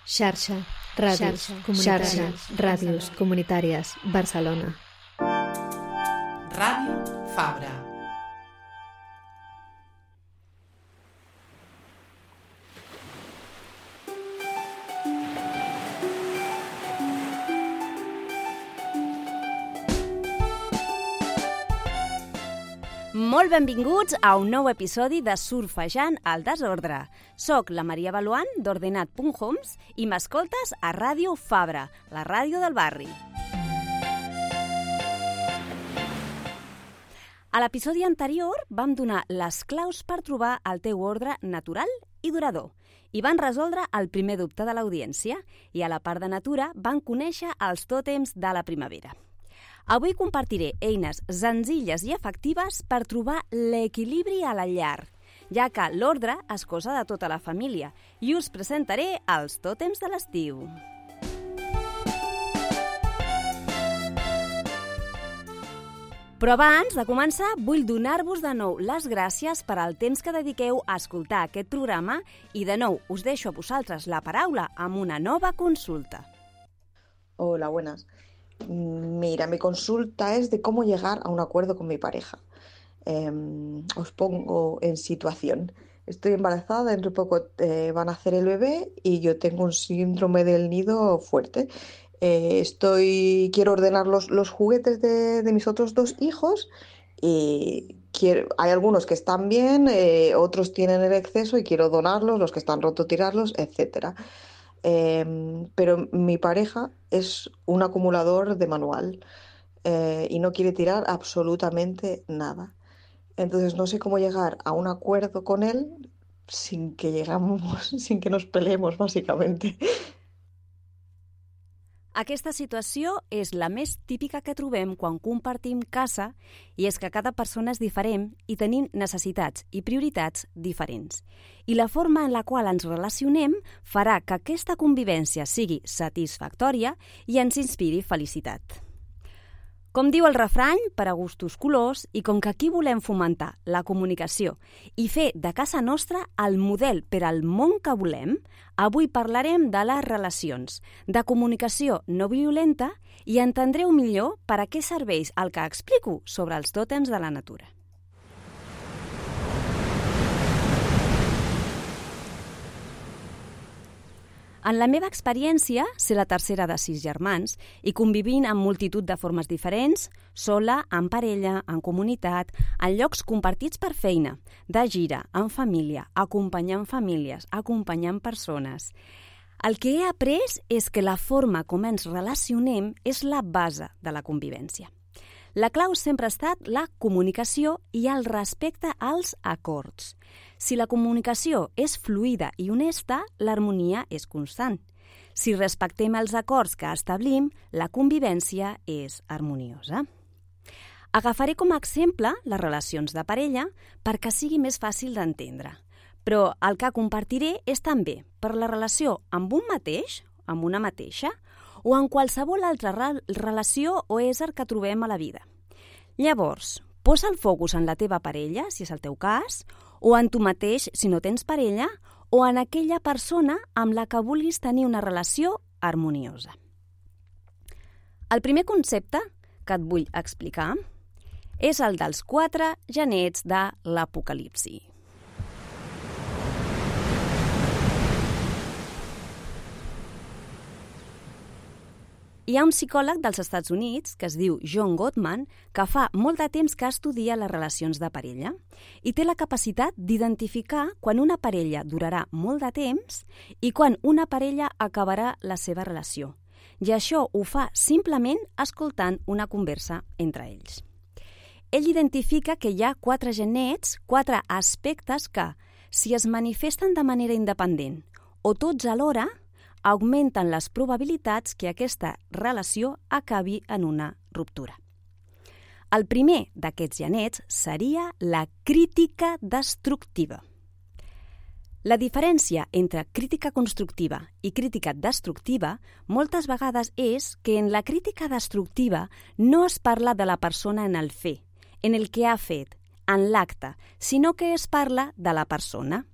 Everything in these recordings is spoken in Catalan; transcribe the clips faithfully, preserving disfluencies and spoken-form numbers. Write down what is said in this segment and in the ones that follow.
Xarxa, ràdios, xarxa, ràdios comunitàries, Barcelona. Ràdio Fabra. Molt benvinguts a un nou episodi de Surfejant al desordre. Soc la Maria Baluan, d'Ordenat punt homes, i m'escoltes a Ràdio Fabra, la ràdio del barri. A l'episodi anterior vam donar les claus per trobar el teu ordre natural i durador i van resoldre el primer dubte de l'audiència i a la part de natura van conèixer els tòtems de la primavera. Avui compartiré eines senzilles i efectives per trobar l'equilibri a la llar, ja que l'ordre és cosa de tota la família, i us presentaré els tòtems de l'estiu. Però abans de començar, vull donar-vos de nou les gràcies per al temps que dediqueu a escoltar aquest programa i de nou us deixo a vosaltres la paraula amb una nova consulta. Hola, buenas. Mira, mi consulta es de cómo llegar a un acuerdo con mi pareja. Eh, os pongo en situación. Estoy embarazada, dentro de poco eh, van a nacer el bebé y yo tengo un síndrome del nido fuerte. Eh, estoy, quiero ordenar los, los juguetes de, de mis otros dos hijos y quiero, hay algunos que están bien, eh, otros tienen el exceso y quiero donarlos, los que están rotos tirarlos, etcétera. Eh, pero mi pareja es un acumulador de manual eh, y no quiere tirar absolutamente nada. Entonces no sé cómo llegar a un acuerdo con él sin que llegamos, sin que nos peleemos, básicamente. Aquesta situació és la més típica que trobem quan compartim casa i és que cada persona és diferent i tenim necessitats i prioritats diferents. I la forma en la qual ens relacionem farà que aquesta convivència sigui satisfactòria i ens inspiri felicitat. Com diu el refrany, per a gustos colors, i com que aquí volem fomentar la comunicació i fer de casa nostra el model per al món que volem, avui parlarem de les relacions, de comunicació no violenta i entendreu millor per a què serveix el que explico sobre els tòtems de la natura. En la meva experiència, ser la tercera de sis germans i convivint en multitud de formes diferents, sola, en parella, en comunitat, en llocs compartits per feina, de gira, en família, acompanyant famílies, acompanyant persones. El que he après és que la forma com ens relacionem és la base de la convivència. La clau sempre ha estat la comunicació i el respecte als acords. Si la comunicació és fluida i honesta, l'harmonia és constant. Si respectem els acords que establim, la convivència és harmoniosa. Agafaré com a exemple les relacions de parella perquè sigui més fàcil d'entendre. Però el que compartiré és també per la relació amb un mateix, amb una mateixa, o en qualsevol altra relació o ésser que trobem a la vida. Llavors, posa el focus en la teva parella, si és el teu cas, o en tu mateix, si no tens parella, o en aquella persona amb la que vulguis tenir una relació harmoniosa. El primer concepte que et vull explicar és el dels quatre genets de l'Apocalipsi. Hi ha un psicòleg dels Estats Units, que es diu John Gottman, que fa molt de temps que estudia les relacions de parella i té la capacitat d'identificar quan una parella durarà molt de temps i quan una parella acabarà la seva relació. I això ho fa simplement escoltant una conversa entre ells. Ell identifica que hi ha quatre genets, quatre aspectes que, si es manifesten de manera independent o tots alhora, augmenten les probabilitats que aquesta relació acabi en una ruptura. El primer d'aquests genets seria la crítica destructiva. La diferència entre crítica constructiva i crítica destructiva moltes vegades és que en la crítica destructiva no es parla de la persona en el fer, en el que ha fet, en l'acte, sinó que es parla de la persona.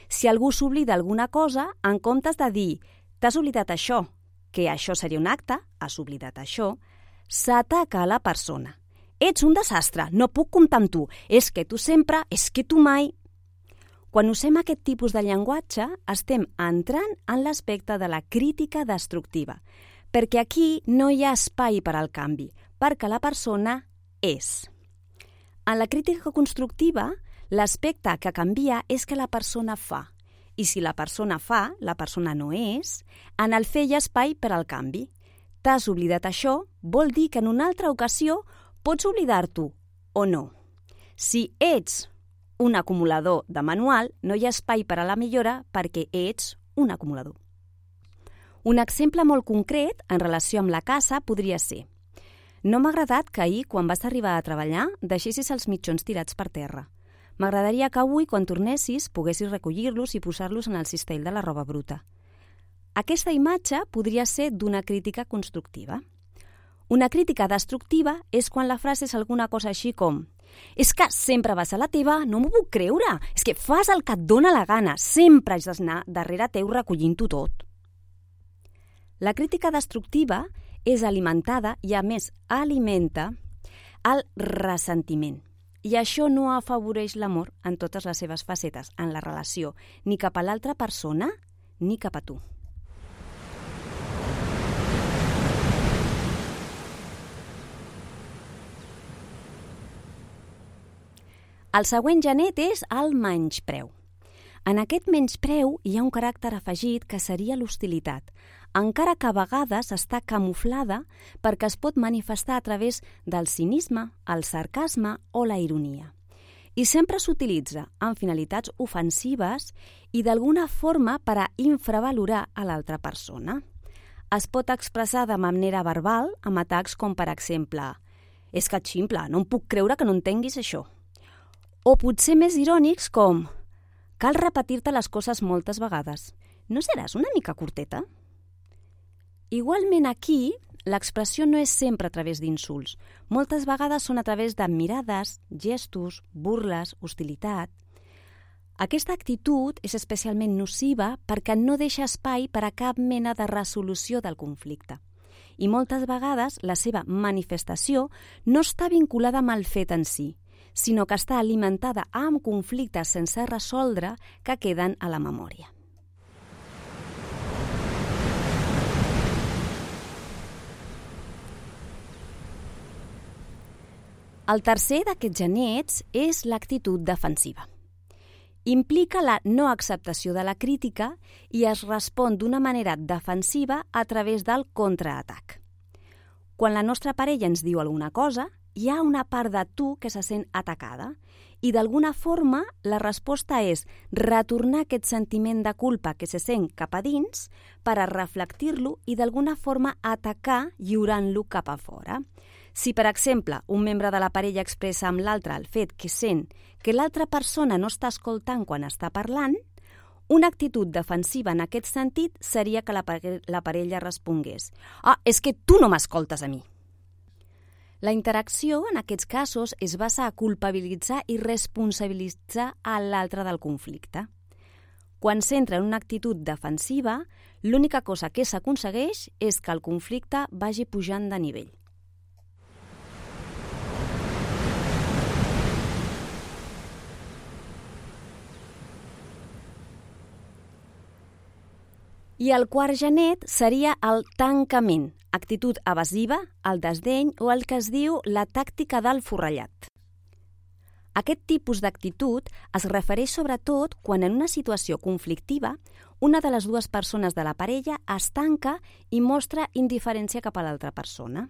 Si algú s'oblida alguna cosa, en comptes de dir T'has oblidat això, que això seria un acte, has oblidat això, s'ataca a la persona. Ets un desastre, no puc comptar amb tu, és que tu sempre, és que tu mai... Quan usem aquest tipus de llenguatge, estem entrant en l'aspecte de la crítica destructiva, perquè aquí no hi ha espai per al canvi, perquè la persona és. En la crítica constructiva, l'aspecte que canvia és que la persona fa. I si la persona fa, la persona no és, en el fer hi ha espai per al canvi. T'has oblidat això, vol dir que en una altra ocasió pots oblidar-t'ho o no. Si ets un acumulador de manual, no hi ha espai per a la millora perquè ets un acumulador. Un exemple molt concret en relació amb la casa podria ser: no m'ha agradat que ahir, quan vas arribar a treballar, deixessis els mitjons tirats per terra. M'agradaria que avui, quan tornessis, poguessis recollir-los i posar-los en el cistell de la roba bruta. Aquesta imatge podria ser d'una crítica constructiva. Una crítica destructiva és quan la frase és alguna cosa així com: és que sempre vas a la teva, no m'ho puc creure, és que fas el que et dóna la gana, sempre has d'anar darrere teu recollint-ho tot. La crítica destructiva és alimentada i, a més, alimenta el ressentiment. I això no afavoreix l'amor en totes les seves facetes, en la relació, ni cap a l'altra persona, ni cap a tu. El següent genet és el menyspreu. En aquest menyspreu hi ha un caràcter afegit que seria l'hostilitat, encara que a vegades està camuflada perquè es pot manifestar a través del cinisme, el sarcasme o la ironia. I sempre s'utilitza amb finalitats ofensives i d'alguna forma per a infravalorar a l'altra persona. Es pot expressar de manera verbal amb atacs com, per exemple, «És que et ximple, no em puc creure que no entenguis això». O potser més irònics com «Cal repetir-te les coses moltes vegades. No seràs una mica curteta?» Igualment aquí, l'expressió no és sempre a través d'insults. Moltes vegades són a través de mirades, gestos, burles, hostilitat. Aquesta actitud és especialment nociva perquè no deixa espai per a cap mena de resolució del conflicte. I moltes vegades la seva manifestació no està vinculada amb el fet en si, sinó que està alimentada amb conflictes sense resoldre que queden a la memòria. El tercer d'aquests genets és l'actitud defensiva. Implica la no acceptació de la crítica i es respon d'una manera defensiva a través del contraatac. Quan la nostra parella ens diu alguna cosa, hi ha una part de tu que se sent atacada i d'alguna forma la resposta és retornar aquest sentiment de culpa que se sent cap a dins per a reflectir-lo i d'alguna forma atacar lliurant-lo cap a fora. Si, per exemple, un membre de la parella expressa amb l'altre el fet que sent que l'altra persona no està escoltant quan està parlant, una actitud defensiva en aquest sentit seria que la, pare- la parella respongués «Ah, és que tu no m'escoltes a mi». La interacció, en aquests casos, es basa a culpabilitzar i responsabilitzar a l'altre del conflicte. Quan s'entra en una actitud defensiva, l'única cosa que s'aconsegueix és que el conflicte vagi pujant de nivell. I el quart genet seria el tancament, actitud evasiva, el desdeny o el que es diu la tàctica del forrellat. Aquest tipus d'actitud es refereix sobretot quan en una situació conflictiva una de les dues persones de la parella es tanca i mostra indiferència cap a l'altra persona.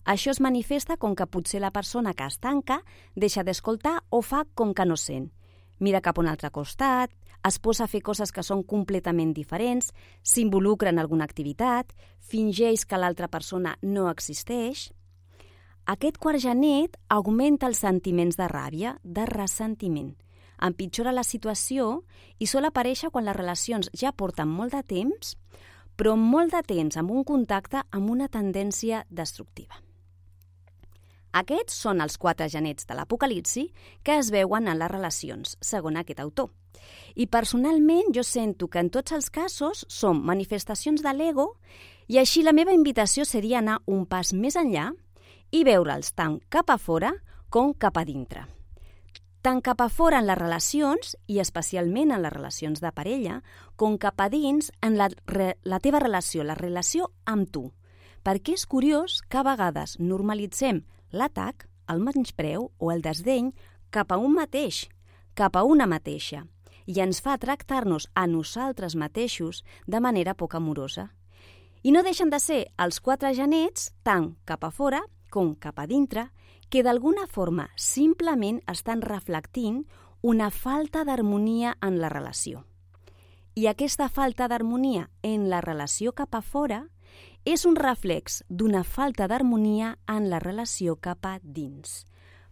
Això es manifesta com que potser la persona que es tanca deixa d'escoltar o fa com que no sent. Mira cap a un altre costat, es posa a fer coses que són completament diferents, s'involucra en alguna activitat, fingeix que l'altra persona no existeix. Aquest quart genet augmenta els sentiments de ràbia, de ressentiment, empitjora la situació i sol aparèixer quan les relacions ja porten molt de temps, però molt de temps amb un contacte amb una tendència destructiva. Aquests són els quatre genets de l'Apocalipsi que es veuen en les relacions, segons aquest autor. I personalment jo sento que en tots els casos són manifestacions de l'ego i així la meva invitació seria anar un pas més enllà i veure'ls tant cap a fora com cap a dintre. Tant cap a fora en les relacions, i especialment en les relacions de parella, com cap a dins en la, la teva relació, la relació amb tu. Perquè és curiós que a vegades normalitzem l'atac, el menyspreu o el desdeny cap a un mateix, cap a una mateixa, i ens fa tractar-nos a nosaltres mateixos de manera poc amorosa. I no deixen de ser els quatre genets, tant cap a fora com cap a dintre, que d'alguna forma simplement estan reflectint una falta d'harmonia en la relació. I aquesta falta d'harmonia en la relació cap a fora és un reflex d'una falta d'harmonia en la relació cap a dins.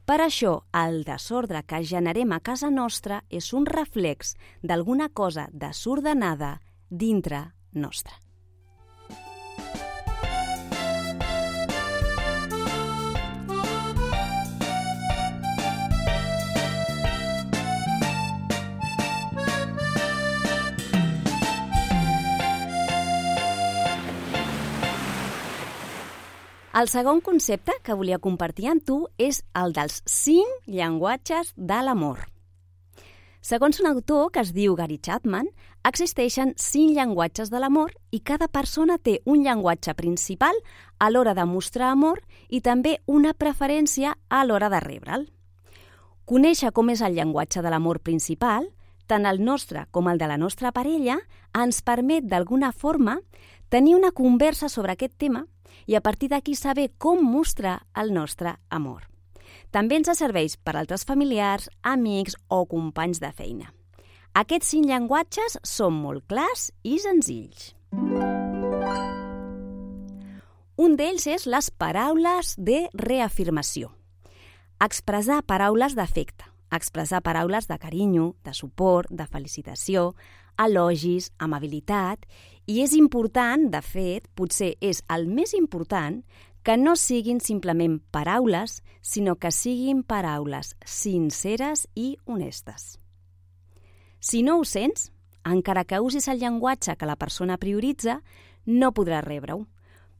Per això, el desordre que generem a casa nostra és un reflex d'alguna cosa desordenada dintre nostra. El segon concepte que volia compartir amb tu és el dels cinc llenguatges de l'amor. Segons un autor que es diu Gary Chapman, existeixen cinc llenguatges de l'amor i cada persona té un llenguatge principal a l'hora de mostrar amor i també una preferència a l'hora de rebre'l. Conèixer com és el llenguatge de l'amor principal, tant el nostre com el de la nostra parella, ens permet d'alguna forma tenir una conversa sobre aquest tema i a partir d'aquí saber com mostrar el nostre amor. També ens serveix per altres familiars, amics o companys de feina. Aquests cinc llenguatges són molt clars i senzills. Un d'ells és les paraules de reafirmació. Expressar paraules d'afecte, expressar paraules de carinyo, de suport, de felicitació, elogis, amabilitat, i és important, de fet, potser és el més important, que no siguin simplement paraules, sinó que siguin paraules sinceres i honestes. Si no ho sents, encara que usis el llenguatge que la persona prioritza, no podràs rebre-ho.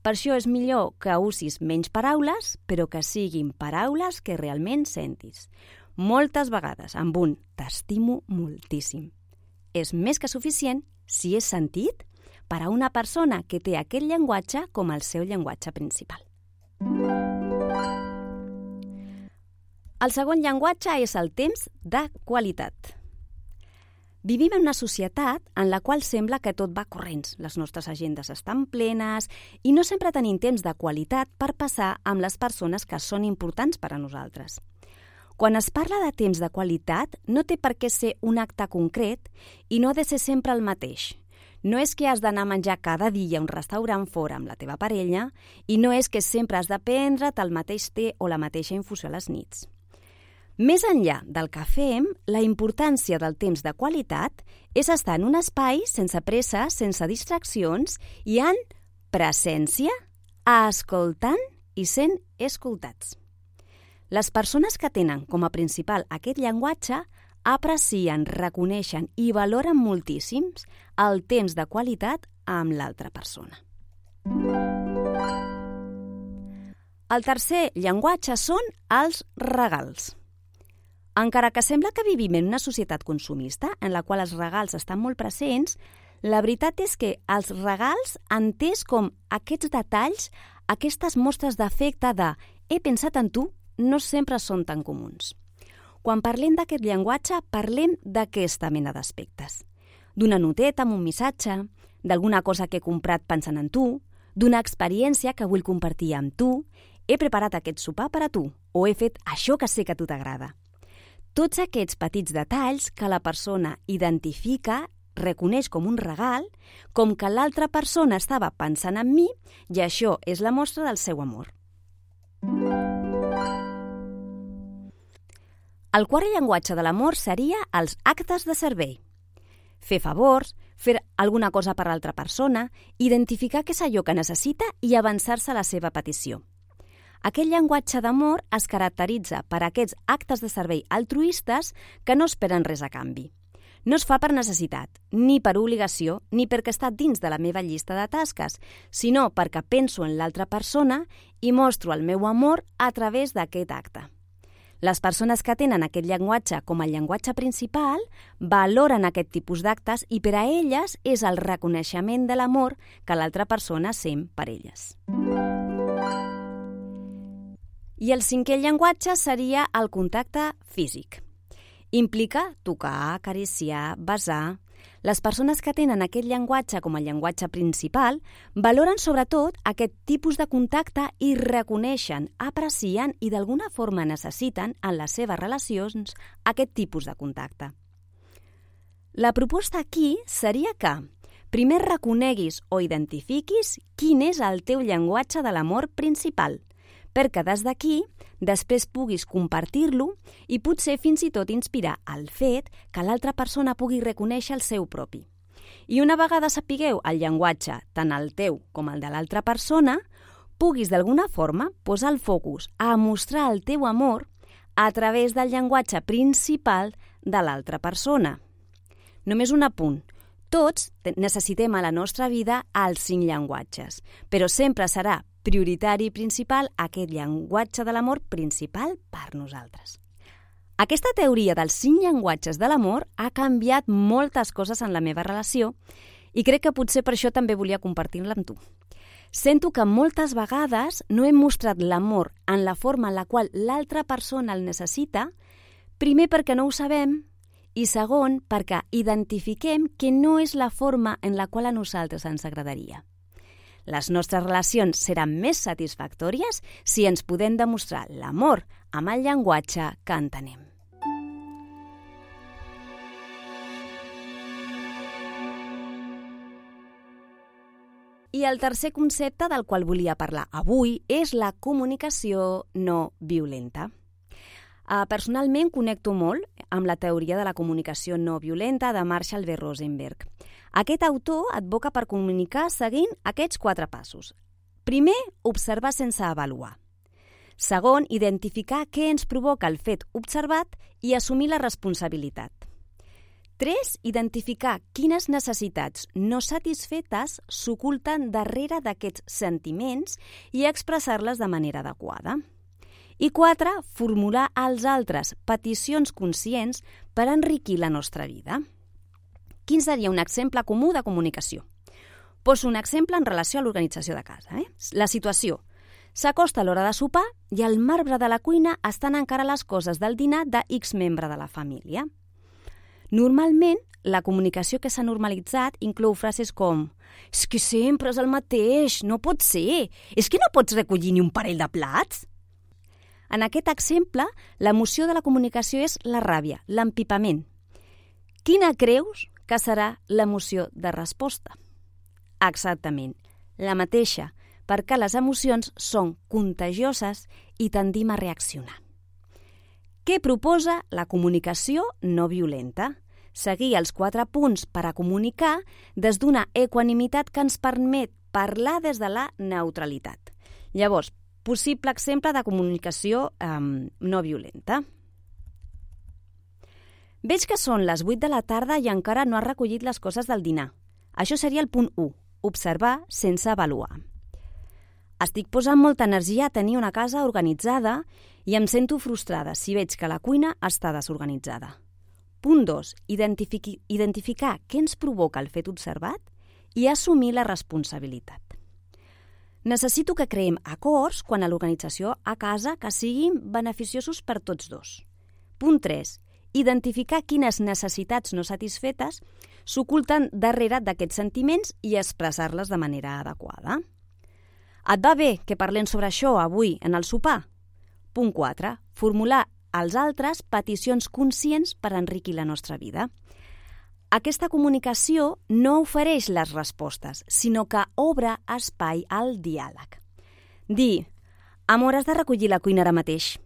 Per això és millor que usis menys paraules, però que siguin paraules que realment sentis. Moltes vegades amb un «t'estimo moltíssim». És més que suficient si és sentit per a una persona que té aquest llenguatge com el seu llenguatge principal. El segon llenguatge és el temps de qualitat. Vivim en una societat en la qual sembla que tot va corrents. Les nostres agendes estan plenes i no sempre tenim temps de qualitat per passar amb les persones que són importants per a nosaltres. Quan es parla de temps de qualitat, no té per què ser un acte concret i no ha de ser sempre el mateix. No és que has d'anar a menjar cada dia a un restaurant fora amb la teva parella i no és que sempre has de prendre't el mateix té o la mateixa infusió a les nits. Més enllà del que fem, la importància del temps de qualitat és estar en un espai sense pressa, sense distraccions i en presència, escoltant i sent escoltats. Les persones que tenen com a principal aquest llenguatge aprecien, reconeixen i valoren moltíssims el temps de qualitat amb l'altra persona. El tercer llenguatge són els regals. Encara que sembla que vivim en una societat consumista en la qual els regals estan molt presents, la veritat és que els regals, entès com aquests detalls, aquestes mostres d'afecte de «he pensat en tu», no sempre són tan comuns. Quan parlem d'aquest llenguatge, parlem d'aquesta mena d'aspectes. D'una noteta amb un missatge, d'alguna cosa que he comprat pensant en tu, d'una experiència que vull compartir amb tu, he preparat aquest sopar per a tu, o he fet això que sé que a tu t'agrada. Tots aquests petits detalls que la persona identifica, reconeix com un regal, com que l'altra persona estava pensant en mi i això és la mostra del seu amor. El quart llenguatge de l'amor seria els actes de servei. Fer favors, fer alguna cosa per l'altra persona, identificar què és allò que necessita i avançar-se a la seva petició. Aquest llenguatge d'amor es caracteritza per aquests actes de servei altruistes que no esperen res a canvi. No es fa per necessitat, ni per obligació, ni perquè està dins de la meva llista de tasques, sinó perquè penso en l'altra persona i mostro el meu amor a través d'aquest acte. Les persones que tenen aquest llenguatge com a llenguatge principal valoren aquest tipus d'actes i per a elles és el reconeixement de l'amor que l'altra persona sent per elles. I el cinquè llenguatge seria el contacte físic. Implica tocar, acariciar, besar. Les persones que tenen aquest llenguatge com a llenguatge principal valoren sobretot aquest tipus de contacte i reconeixen, aprecien i d'alguna forma necessiten en les seves relacions aquest tipus de contacte. La proposta aquí seria que primer reconeguis o identifiquis quin és el teu llenguatge de l'amor principal, perquè des d'aquí després puguis compartir-lo i potser fins i tot inspirar el fet que l'altra persona pugui reconèixer el seu propi. I una vegada sapigueu el llenguatge, tant el teu com el de l'altra persona, puguis d'alguna forma posar el focus a mostrar el teu amor a través del llenguatge principal de l'altra persona. Només un apunt. Tots necessitem a la nostra vida els cinc llenguatges, però sempre serà prioritari i principal aquest llenguatge de l'amor principal per nosaltres. Aquesta teoria dels cinc llenguatges de l'amor ha canviat moltes coses en la meva relació i crec que potser per això també volia compartir-la amb tu. Sento que moltes vegades no hem mostrat l'amor en la forma en la qual l'altra persona el necessita, primer perquè no ho sabem i segon perquè identifiquem que no és la forma en la qual a nosaltres ens agradaria. Les nostres relacions seran més satisfactòries si ens podem demostrar l'amor amb el llenguatge que entenem. I el tercer concepte del qual volia parlar avui és la comunicació no violenta. Uh, personalment connecto molt amb la teoria de la comunicació no violenta de Marshall B. Rosenberg. Aquest autor advoca per comunicar seguint aquests quatre passos. Primer, observar sense avaluar. Segon, identificar què ens provoca el fet observat i assumir la responsabilitat. Tres, identificar quines necessitats no satisfetes s'oculten darrere d'aquests sentiments i expressar-les de manera adequada. I quatre, formular als altres peticions conscients per enriquir la nostra vida. Quin seria un exemple comú de comunicació? Poso un exemple en relació a l'organització de casa. Eh? La situació. S'acosta l'hora de sopar i al marbre de la cuina estan encara les coses del dinar de X membre de la família. Normalment, la comunicació que s'ha normalitzat inclou frases com «És que sempre és el mateix, no pot ser! És que no pots recollir ni un parell de plats!» En aquest exemple, l'emoció de la comunicació és la ràbia, l'empipament. Quina creus que serà l'emoció de resposta? Exactament, la mateixa, perquè les emocions són contagioses i tendim a reaccionar. Què proposa la comunicació no violenta? Seguir els quatre punts per a comunicar des d'una equanimitat que ens permet parlar des de la neutralitat. Llavors, possible exemple de comunicació eh, no violenta. Veig que són les vuit de la tarda i encara no has recollit les coses del dinar. Això seria el punt u, observar sense avaluar. Estic posant molta energia a tenir una casa organitzada i em sento frustrada si veig que la cuina està desorganitzada. Punt dos, identifiqui, identificar què ens provoca el fet observat i assumir la responsabilitat. Necessito que creem acords quan a l'organització a casa que siguin beneficiosos per tots dos. Punt tres. Identificar quines necessitats no satisfetes s'oculten darrere d'aquests sentiments i expressar-les de manera adequada. Et va bé que parlem sobre això avui en el sopar? Punt quatre. Formular als altres peticions conscients per enriquir la nostra vida. Aquesta comunicació no ofereix les respostes, sinó que obre espai al diàleg. Dir, amor, has de recollir la cuina ara mateix.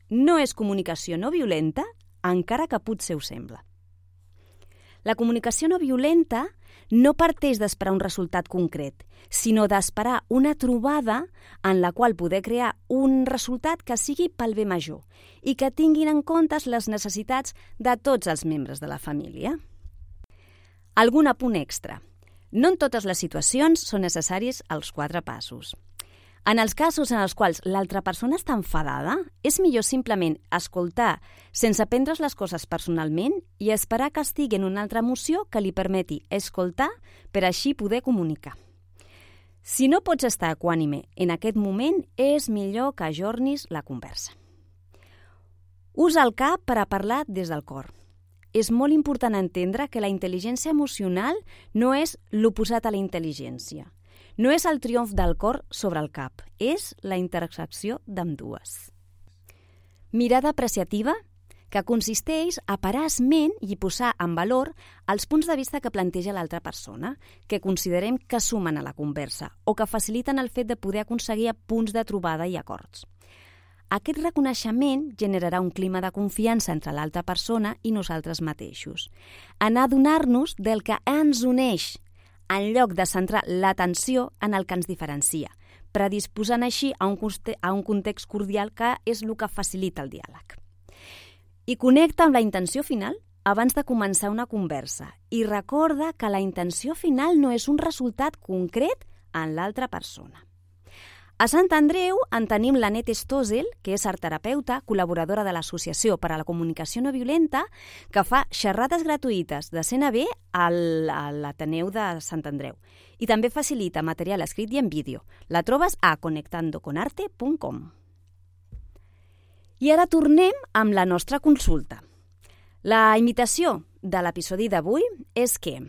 No és comunicació no violenta, encara que potser ho sembla. La comunicació no violenta no parteix d'esperar un resultat concret, sinó d'esperar una trobada en la qual poder crear un resultat que sigui pel bé major i que tinguin en compte les necessitats de tots els membres de la família. Algun apunt extra. No en totes les situacions són necessaris els quatre passos. En els casos en els quals l'altra persona està enfadada, és millor simplement escoltar sense prendre's les coses personalment i esperar que estigui en una altra emoció que li permeti escoltar per així poder comunicar. Si no pots estar equànime en aquest moment, és millor que ajornis la conversa. Usa el cap per a parlar des del cor. És molt important entendre que la intel·ligència emocional no és l'oposat a la intel·ligència. No és el triomf del cor sobre el cap, és la intersecció d'ambdues. Mirada apreciativa, que consisteix a parar esment i posar en valor els punts de vista que planteja l'altra persona, que considerem que sumen a la conversa o que faciliten el fet de poder aconseguir punts de trobada i acords. Aquest reconeixement generarà un clima de confiança entre l'altra persona i nosaltres mateixos. En adonar-nos del que ens uneix, en lloc de centrar l'atenció en el que ens diferencia, predisposant així a un, a un context cordial que és el que facilita el diàleg. I connecta amb la intenció final abans de començar una conversa i recorda que la intenció final no és un resultat concret en l'altra persona. A Sant Andreu en tenim l'Anet Stossel, que és artterapeuta, col·laboradora de l'Associació per a la Comunicació No Violenta, que fa xerrades gratuïtes de C N B a l'Ateneu de Sant Andreu. I també facilita material escrit i en vídeo. La trobes a conectando con arte punt com. I ara tornem amb la nostra consulta. La invitació de l'episodi d'avui és que,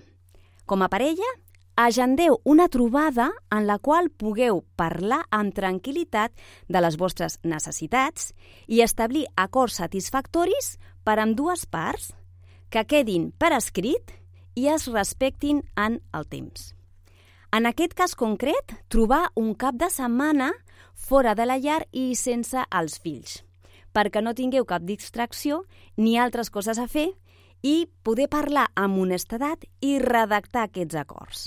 com a parella, agendeu una trobada en la qual pugueu parlar amb tranquil·litat de les vostres necessitats i establir acords satisfactoris per a ambdues parts, que quedin per escrit i es respectin en el temps. En aquest cas concret, trobar un cap de setmana fora de la llar i sense els fills, perquè no tingueu cap distracció ni altres coses a fer i poder parlar amb honestedat i redactar aquests acords.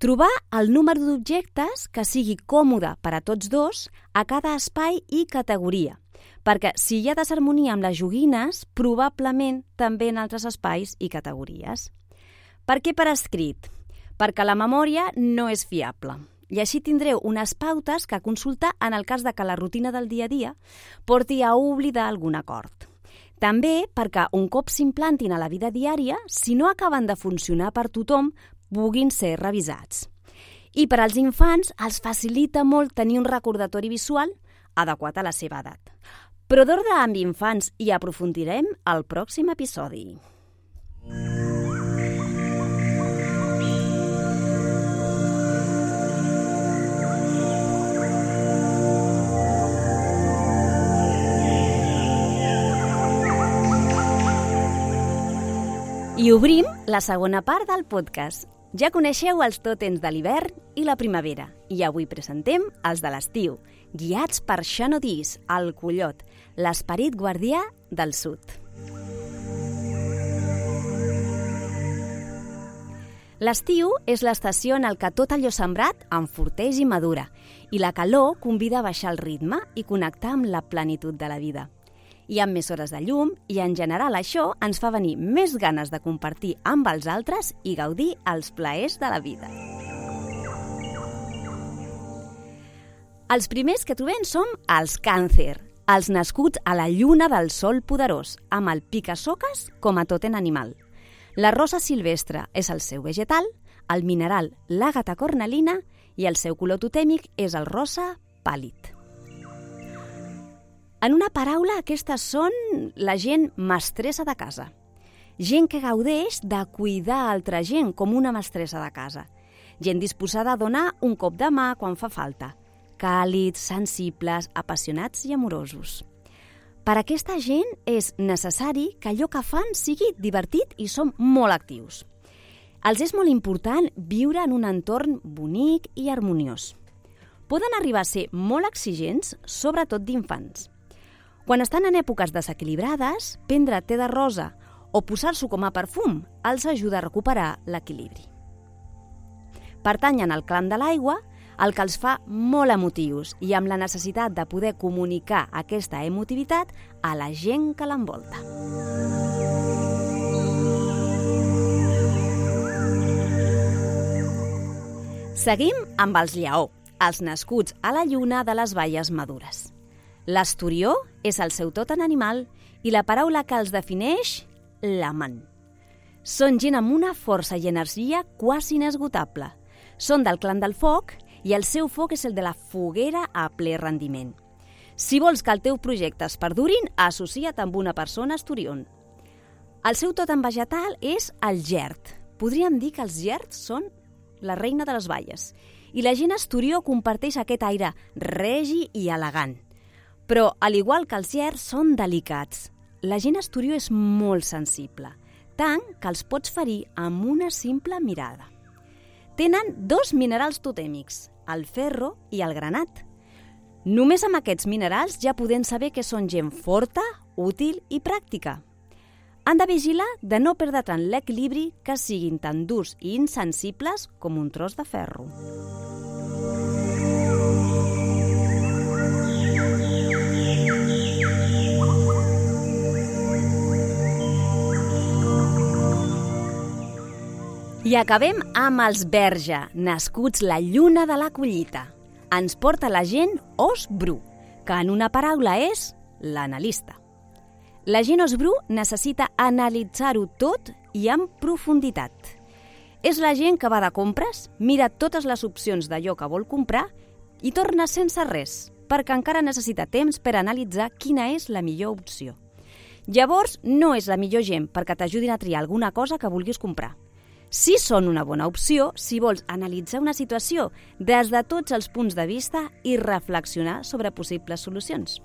Trobar el número d'objectes que sigui còmode per a tots dos a cada espai i categoria, perquè si hi ha desharmonia amb les joguines, probablement també en altres espais i categories. Per què per escrit? Perquè la memòria no és fiable i així tindreu unes pautes que consultar en el cas de que la rutina del dia a dia porti a oblidar algun acord. També perquè un cop s'implantin a la vida diària, si no acaben de funcionar per tothom, puguin ser revisats. I per als infants els facilita molt tenir un recordatori visual adequat a la seva edat. Però d'ordre amb infants hi aprofundirem al pròxim episodi. I obrim la segona part del podcast. Ja coneixeu els tòtems de l'hivern i la primavera i avui presentem els de l'estiu, guiats per Xanodís, el collot, l'esperit guardià del sud. L'estiu és l'estació en què tot allò sembrat enforteix i madura i la calor convida a baixar el ritme i connectar amb la plenitud de la vida. Hi ha més hores de llum i, en general, això ens fa venir més ganes de compartir amb els altres i gaudir els plaers de la vida. Els primers que trobem som els càncer, els nascuts a la lluna del sol poderós, amb el pica-soques com a tòtem animal. La rosa silvestre és el seu vegetal, el mineral l'àgata cornalina i el seu color totèmic és el rosa pàl·lid. En una paraula, aquestes són la gent mestressa de casa. Gent que gaudeix de cuidar altra gent com una mestressa de casa. Gent disposada a donar un cop de mà quan fa falta. Càlids, sensibles, apassionats i amorosos. Per a aquesta gent és necessari que allò que fan sigui divertit i som molt actius. Els és molt important viure en un entorn bonic i harmoniós. Poden arribar a ser molt exigents, sobretot d'infants. Quan estan en èpoques desequilibrades, prendre te de rosa o posar-s'ho com a perfum els ajuda a recuperar l'equilibri. Pertanyen al clan de l'aigua, el que els fa molt emotius i amb la necessitat de poder comunicar aquesta emotivitat a la gent que l'envolta. Seguim amb els lleó, els nascuts a la lluna de les baies madures. L'esturió és el seu tot en animal i la paraula que els defineix, l'amant. Són gent amb una força i energia quasi inesgotable. Són del clan del foc i el seu foc és el de la foguera a ple rendiment. Si vols que el teu projecte es perdurin, associa't amb una persona esturión. El seu tot en vegetal és el gerd. Podríem dir que els gerds són la reina de les baies. I la gent esturió comparteix aquest aire regi i elegant. Però, al igual que els gerds, són delicats. La gent esturió és molt sensible, tant que els pots ferir amb una simple mirada. Tenen dos minerals totèmics, el ferro i el granat. Només amb aquests minerals ja podem saber que són gent forta, útil i pràctica. Han de vigilar de no perdre tant l'equilibri, que siguin tan durs i insensibles com un tros de ferro. I acabem amb els verge, nascuts la lluna de la collita. Ens porta la gent os bru, que en una paraula és l'analista. La gent os bru necessita analitzar-ho tot i amb profunditat. És la gent que va de compres, mira totes les opcions d'allò que vol comprar i torna sense res, perquè encara necessita temps per analitzar quina és la millor opció. Llavors, no és la millor gent perquè t'ajudin a triar alguna cosa que vulguis comprar. Sí són una bona opció si vols analitzar una situació des de tots els punts de vista i reflexionar sobre possibles solucions.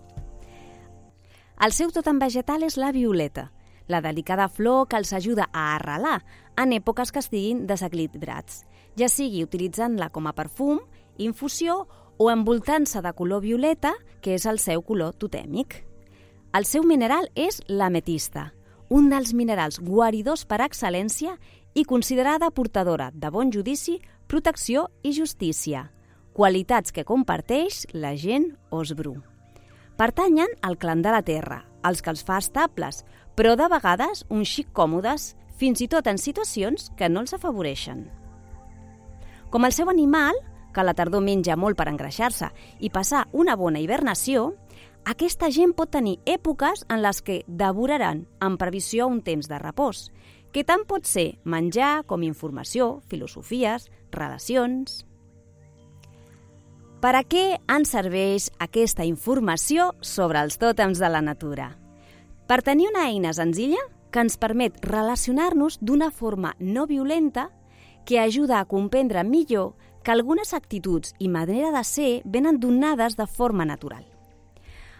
El seu totem vegetal és la violeta, la delicada flor que els ajuda a arrelar en èpoques que estiguin desequilibrats, ja sigui utilitzant-la com a perfum, infusió o envoltant-se de color violeta, que és el seu color totèmic. El seu mineral és l'ametista, un dels minerals guaridors per excel·lència i considerada portadora de bon judici, protecció i justícia, qualitats que comparteix la gent os bru. Pertanyen al clan de la terra, els que els fa estables, però de vegades un xic còmodes, fins i tot en situacions que no els afavoreixen. Com el seu animal, que a la tardor menja molt per engreixar-se i passar una bona hibernació, aquesta gent pot tenir èpoques en les que devoraran en previsió un temps de repòs, que tant pot ser menjar com informació, filosofies, relacions. Per a què ens serveix aquesta informació sobre els tòtems de la natura? Per tenir una eina senzilla que ens permet relacionar-nos d'una forma no violenta que ajuda a comprendre millor que algunes actituds i manera de ser venen donades de forma natural.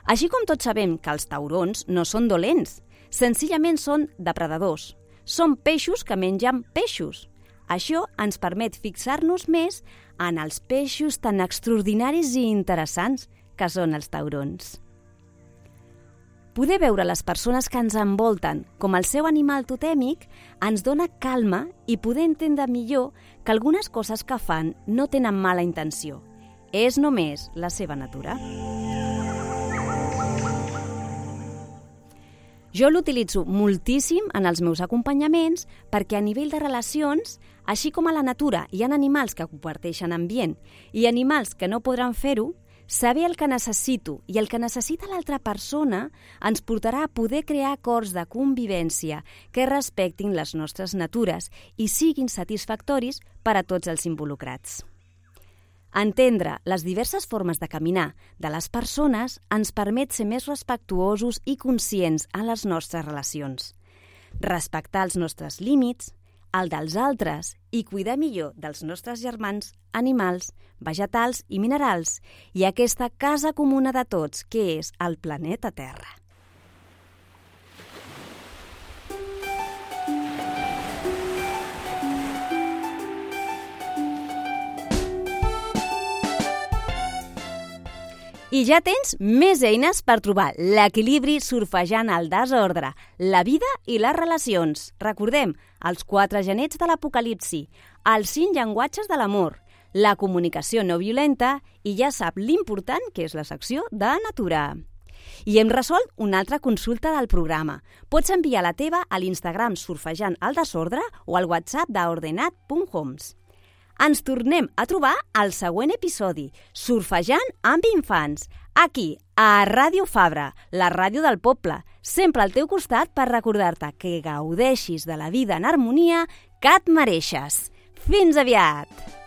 Així com tots sabem que els taurons no són dolents, senzillament són depredadors. Són peixos que mengen peixos. Això ens permet fixar-nos més en els peixos tan extraordinaris i interessants que són els taurons. Poder veure les persones que ens envolten com el seu animal totèmic ens dona calma i poder entendre millor que algunes coses que fan no tenen mala intenció. És només la seva natura. Jo l'utilitzo moltíssim en els meus acompanyaments perquè a nivell de relacions, així com a la natura hi ha animals que comparteixen ambient i animals que no podran fer-ho, saber el que necessito i el que necessita l'altra persona ens portarà a poder crear acords de convivència que respectin les nostres natures i siguin satisfactoris per a tots els involucrats. Entendre les diverses formes de caminar de les persones ens permet ser més respectuosos i conscients en les nostres relacions, respectar els nostres límits, el dels altres i cuidar millor dels nostres germans, animals, vegetals i minerals i aquesta casa comuna de tots que és el planeta Terra. I ja tens més eines per trobar l'equilibri surfejant el desordre, la vida i les relacions. Recordem, els quatre genets de l'apocalipsi, els cinc llenguatges de l'amor, la comunicació no violenta i ja sap l'important que és la secció de natura. I hem resolt una altra consulta del programa. Pots enviar la teva a l'Instagram surfejant el desordre o al WhatsApp d'ordenat punt homes. Ens tornem a trobar al següent episodi, Surfejant amb infants, aquí, a Ràdio Fabra, la ràdio del poble, sempre al teu costat per recordar-te que gaudeixis de la vida en harmonia que et mereixes. Fins aviat!